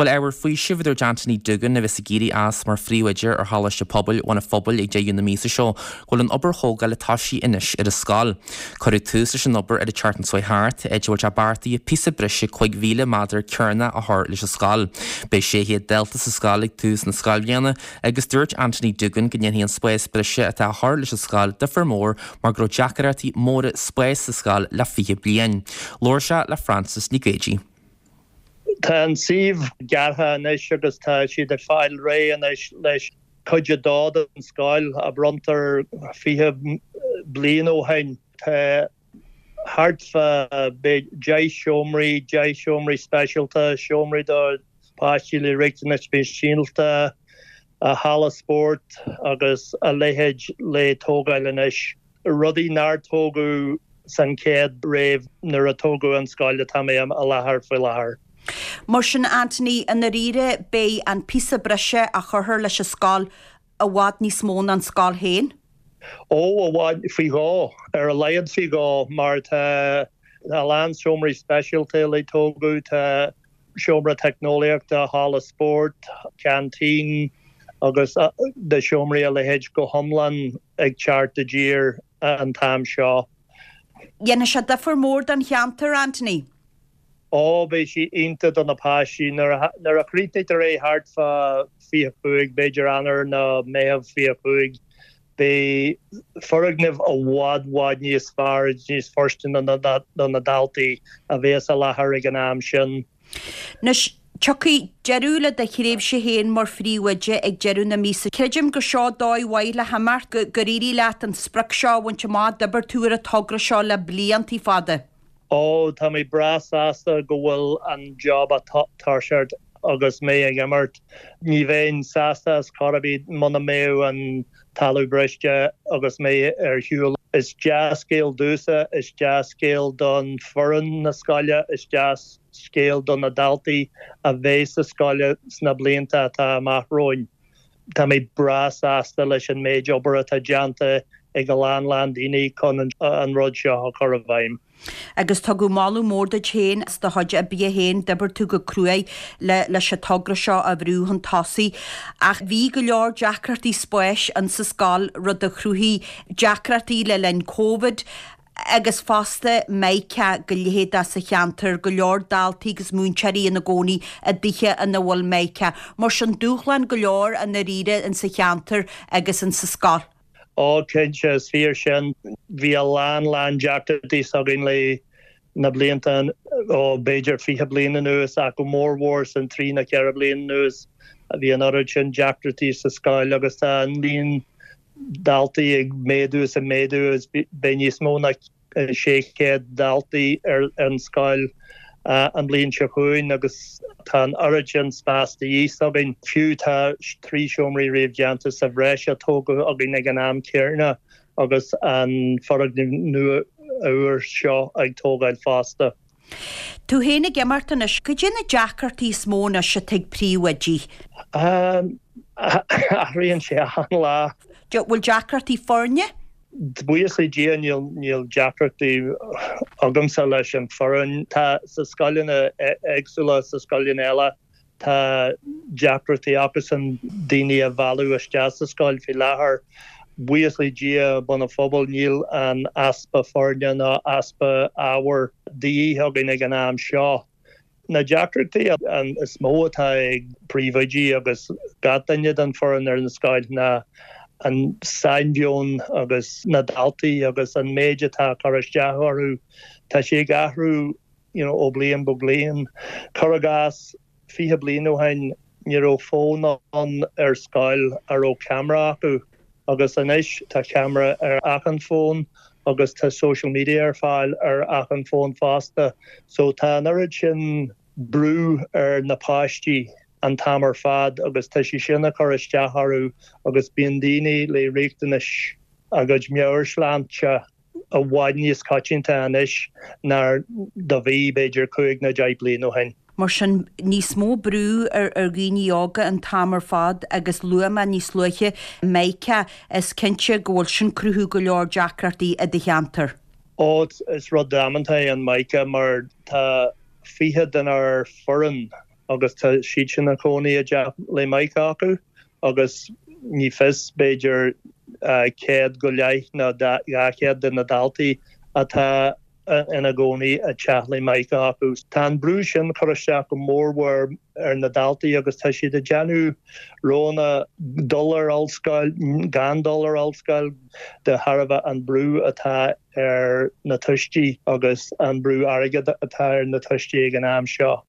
Bhuel, ábhar faoisimh a dúirt Anthony Doogan, a bheas ag éirí as mar phríomhoide ar Choláiste Pobail Bhun an Phobail ag deireadh na míosa seo, go bhfuil an obair thógála toisithe anois ar an scoil. Cuireadh tús leis an obair ar an tseachtain seo thart, áit a bhfuil sé beartaithe píosa breise 5,000 méadar cearnach a chur leis an scoil. Beidh 600 dalta sa scoil ag tús na scoilbhliana agus dúirt Anthony Doogan go ndéanfaidh an spás breise atá á chur leis an scoil difear mór mar go raibh deacaireachtaí móra spáis sa scoil le 20 bliain. Labhair sé le Frances Nic Géadaigh. Tá an suíomh gearrtha anois agus tá siad ag fáil réidh anois leis cuid a dó den scoil a bronntar 20 bliain ó shin. Tá thart fá 10 seomraí, 10 seomraí speisialta, seomraí do pháistí le riachtanais speisialta, halla spóirt agus a leithéid le tógáil anois. Rudaí nár tógadh san chéad wave nuair a tógadh an scoil atá mé i láthair faoi láthair. Mar sin, Anthony, i ndáiríre beidh an píosa breise a chuirfear leis an scoil i bhfad níos mó ná an scoil féin? Ó, i bhfad, faoi dhó, ar a laghad faoi dhó, mar tá a lán seomraí speisialta le tógadh, tá seomra teicneolaíochta, halla spóirt, ceaintín agus na seomraí a leithéid go hiomlán ag teacht i dtír an t-am seo. Dhéanfaidh sé difear mór don cheantar, Anthony. Ó, beidh sé iontach do na páistí. Nuair a chríochnaítear é thart fá 25, b'fhéidir Eanáir nó Meitheamh 25, beidh foirgneamh i bhfad, bhfad níos fearr agus níos fóirsteanaí do na daltaí a bheas i láthair ag an am sin. Anois, tiocfaidh deireadh le do thréimhse féin mar phríomhoide ag deireadh na míosa. Creidim gur seo dóigh mhaith le himeacht, gur éirigh leat an sprioc seo a bhaint amach, d'oibir tú ar an togra seo le blianta fada. Ó, tá mé breá sásta go bhfuil an job á toiseacht agus mé ag imirt. Ní bheinn sásta as chor ar bith muna mbeadh an talamh briste agus mé ar shiúl. Is dea-scéal domhsa, is dea-scéal don foireann na scoile, is dea-scéal do na daltaí a bheidh sa scoile sna blianta atá amach romhainn. Tá mé breá sásta leis an méid obair atá déanta ag a lán lán daoine chun an rud seo a chur i bhfeidhm. Agus tugadh moladh mór duit féin as do chuid oibre féin, d'oibir tú go cruaidh le leis an togra seo a bhrú chun tosaigh. Ach bhí go leor deacrachtaí spáis in sa scoil, rud a chruthaigh deacrachtaí le linn Covid. agus fosta Mica go leithéideach sa cheantar, go leor daltaí agus múinteoirí ina gcónaí i dtithe ina bhfuil Mica. Mar sin, dúshlán go leor i ndáiríre in sa cheantar agus in sa scoil. Ó, cinnte, is fíor sin. Bhí a lán, lán deacrachtaí s'againn le na blianta, ó, b'fhéidir 20 bliain anuas ach go mór mhór san trí nó ceithre bliain anuas. Bhí an oiread sin deacrachtaí sa scoil agus tá an líon daltaí ag méadú is ag méadú agus beidh níos mó ná 600 daltaí ar an scoil an bhliain seo chugainn agus tá an oiread sin spás de dhíth s'againn. Fiú tá 3 seomraí réamhdhéanta sa bhreis á tógadh againn ag an am céarna agus an foirgneamh nua úr seo ag tógáil fosta. Tú féin ag imeacht anois, cad é na deacrachtaí is mó anois atá ag príomhoidí? Athraíonn sé achan lá. Bhfuil deacrachtaí foirne? Buíochas le Dia níl níl deacrachtaí agamsa leis an foireann. Tá sa scoileanna éagsúla, sa scoileanna eile Tá deacrachtaí acusan daoine a mhealladh isteach sa scoil faoi láthair. Buíochas le Dia, Bun an Phobail, níl an easpa foirne ná easpa ábhair de dhíth againn ag an am seo. Na deacrachtaí is mó atá ag príomhoidí agus gach duine den foireann ar an scoil ná an sainmheon agus na daltaí agus an méid atá ag cur isteach orthu. Tá sé ag athrú you know, ó bliain go bliain. Cuir i gcás, 20 bliain ó shin ní raibh fón ann ar scoil a raibh ceamara acu agus anois tá ceamara ar achan fón agus tá social media ar fáil ar achan fón fosta. So tá an oiread sin brú ar na páistí an t-am ar fad agus tá sé sin ag cur isteach orthu agus bíonn daoine le riachtanais a gcuid meabhairshláinte i bhfad níos coitianta anois ná do bhí, b'fhéidir, cúig nó deich bliain ó shin. Mar sin, níos mó brú ar dhaoine óga an t-am ar fad agus luaigh mé níos luaithe Mica, is cinnte go bhfuil sin cruthú go leor deacrachtaí i do cheantar. Ó, is rud damanta é an Mica mar tá 20 denár foireann. agus tá siad sin ina gcónaí i dteach Lae Micah acu agus ní fios, b'fhéidir 100 go leith nó 200 de na daltaí atá ina gcónaí i dteach Lae Micah acu. Tá an brú sin ag cur isteach go mórmhór ar na daltaí agus tá siad ag déanamh roghanna dul ar ollscoil, gan dul ar ollscoil de thairbhe an brú atá ar na tuistí agus an brú airgid atá ar na tuistí ag an am seo.